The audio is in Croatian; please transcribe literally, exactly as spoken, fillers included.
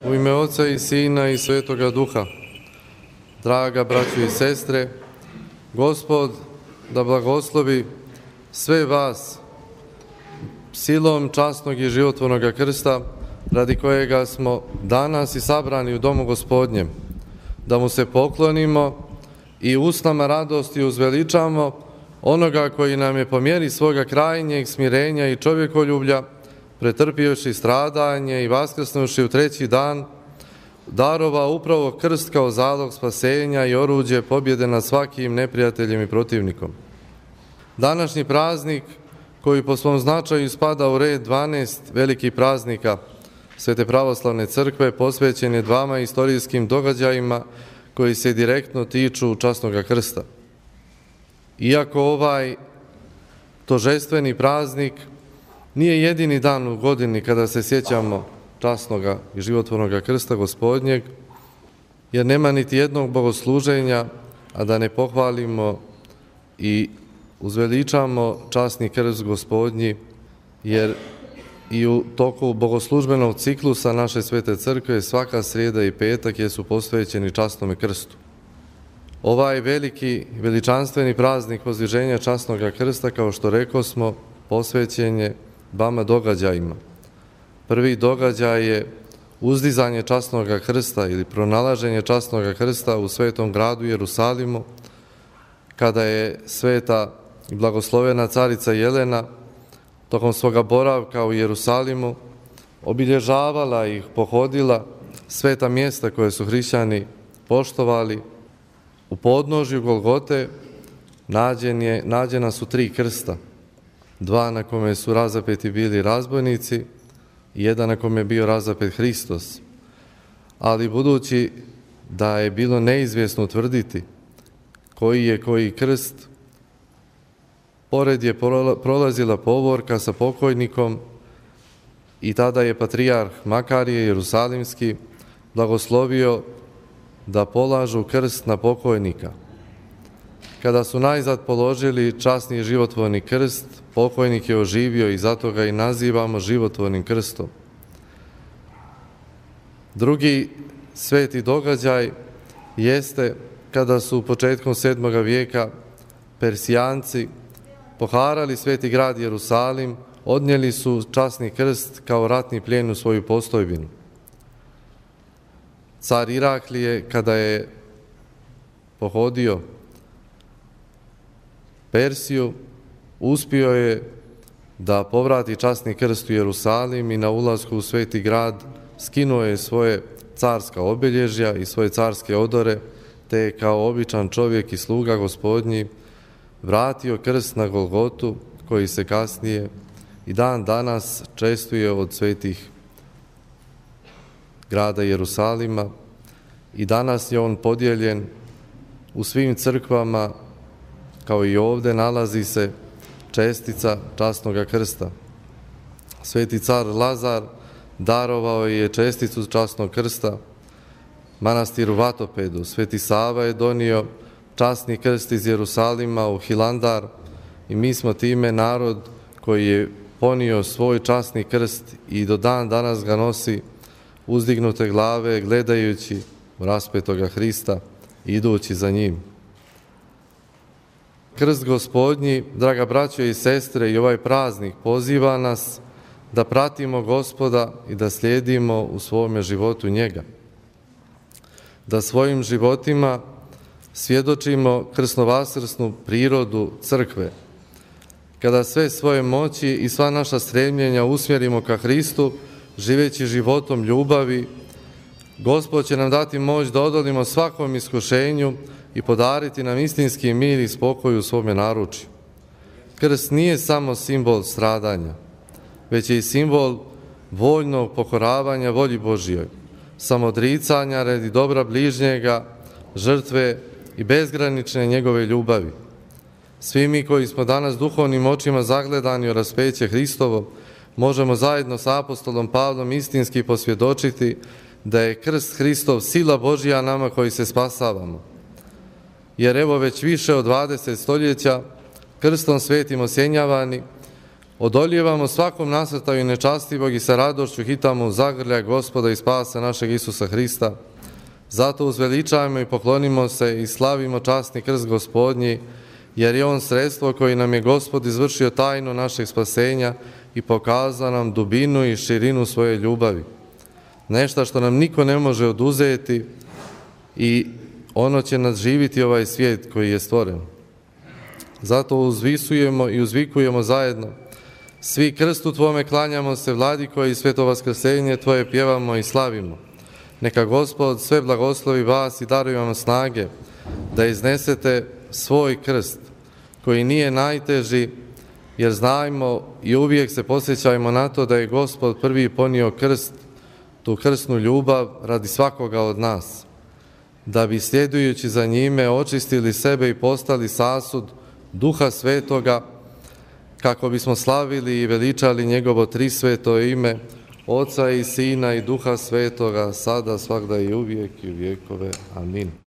U ime Oca i Sina i Svetoga Duha, draga braćo i sestre, Gospod da blagoslovi sve vas silom časnog i životvornog krsta, radi kojega smo danas i sabrani u domu Gospodnjem, da mu se poklonimo i usnama radosti uzveličamo onoga koji nam je po mjeri svoga krajnjeg smirenja i čovjekoljublja, pretrpijući stradanje i vaskrsnuši u treći dan, darovao upravo krst kao zalog spasenja i oruđe pobjede nad svakim neprijateljem i protivnikom. Današnji praznik, koji po svom značaju spada u red dvanaest velikih praznika Svete pravoslavne crkve, posvećen je dvama istorijskim događajima koji se direktno tiču časnog krsta. Iako ovaj tožestveni praznik nije jedini dan u godini kada se sjećamo časnog i životvornog krsta Gospodnjeg, jer nema niti jednog bogosluženja, a da ne pohvalimo i uzveličamo časni krst Gospodnji, jer i u toku bogoslužbenog ciklusa naše Svete crkve svaka srijeda i petak jesu posvećeni časnom krstu. Ovaj veliki, veličanstveni praznik vozdviženja časnog krsta, kao što rekosmo, posvećen je dvama događajima. Prvi događaj je uzdizanje časnog krsta ili pronalaženje časnog krsta u svetom gradu Jerusalimu, kada je sveta i blagoslovena carica Jelena tokom svoga boravka u Jerusalimu obilježavala i pohodila sveta mjesta koje su hrišćani poštovali. U podnožju Golgote nađen je, nađena su tri krsta, dva na kome su razapeti bili razbojnici i jedan na kome je bio razapet Hristos. Ali budući da je bilo neizvjesno utvrditi koji je koji krst, pored je prolazila povorka sa pokojnikom i tada je patrijarh Makarije Jerusalimski blagoslovio da polažu krst na pokojnika. Kada su najzad položili časni životvorni krst, pokojnik je oživio i zato ga i nazivamo životvornim krstom. Drugi sveti događaj jeste kada su početkom sedmoga vijeka Persijanci poharali sveti grad Jerusalim, odnijeli su časni krst kao ratni plijen u svoju postojbinu. Car Iraklije, kada je pohodio Persiju, uspio je da povrati časni krst u Jerusalim i na ulasku u sveti grad skinuo je svoje carska obilježja i svoje carske odore, te je kao običan čovjek i sluga Gospodnji vratio krst na Golgotu, koji se kasnije i dan danas čestuje od svetih grada Jerusalima, i danas je on podijeljen u svim crkvama, kao i ovdje nalazi se čestica časnog krsta. Sveti car Lazar darovao je česticu časnog krsta manastiru Vatopedu. Sveti Sava je donio časni krst iz Jerusalima u Hilandar i mi smo time narod koji je ponio svoj časni krst i do dan danas ga nosi uzdignute glave, gledajući raspetoga Hrista, idući za njim. Krst Gospodnji, draga braćo i sestre, i ovaj praznik poziva nas da pratimo Gospoda i da slijedimo u svome životu njega. Da svojim životima svjedočimo krsnovasrsnu prirodu crkve. Kada sve svoje moći i sva naša stremljenja usmjerimo ka Hristu, živeći životom ljubavi, Gospod će nam dati moć da odolimo svakom iskušenju i podariti nam istinski mir i spokoj u svome naručju. Krst nije samo simbol stradanja, već je i simbol voljnog pokoravanja volji Božjoj, samodricanja radi dobra bližnjega, žrtve i bezgranične njegove ljubavi. Svi mi koji smo danas duhovnim očima zagledani o raspeće Hristovo, možemo zajedno sa apostolom Pavlom istinski posvjedočiti da je krst Hristov sila Božja nama koji se spasavamo. Jer evo već više od dvadeset stoljeća krstom svetim osjenjavani, Odoljevamo svakom nasrtaju nečastivog i sa radošću hitamo u zagrljaj Gospoda i spasa našeg Isusa Hrista. Zato uzveličajmo i poklonimo se i slavimo časni krst Gospodnji, jer je on sredstvo koje nam je Gospod izvršio tajnu našeg spasenja i pokazao nam dubinu i širinu svoje ljubavi. Nešto što nam niko ne može oduzeti i ono će nadživiti ovaj svijet koji je stvoren. Zato uzvisujemo i uzvikujemo zajedno. Svi krstu Tvome klanjamo se, Vladiko, i sveto vaskrsenje Tvoje pjevamo i slavimo. Neka Gospod sve blagoslovi vas i daruje vam snage da iznesete svoj krst, koji nije najteži, jer znajmo i uvijek se posjećajmo na to da je Gospod prvi ponio krst, tu krsnu ljubav radi svakoga od nas, da bi sljedujući za njime očistili sebe i postali sasud Duha Svetoga, kako bismo slavili i veličali njegovo trisveto ime, Oca i Sina i Duha Svetoga, sada, svagda i uvijek i u vjekove. Amin.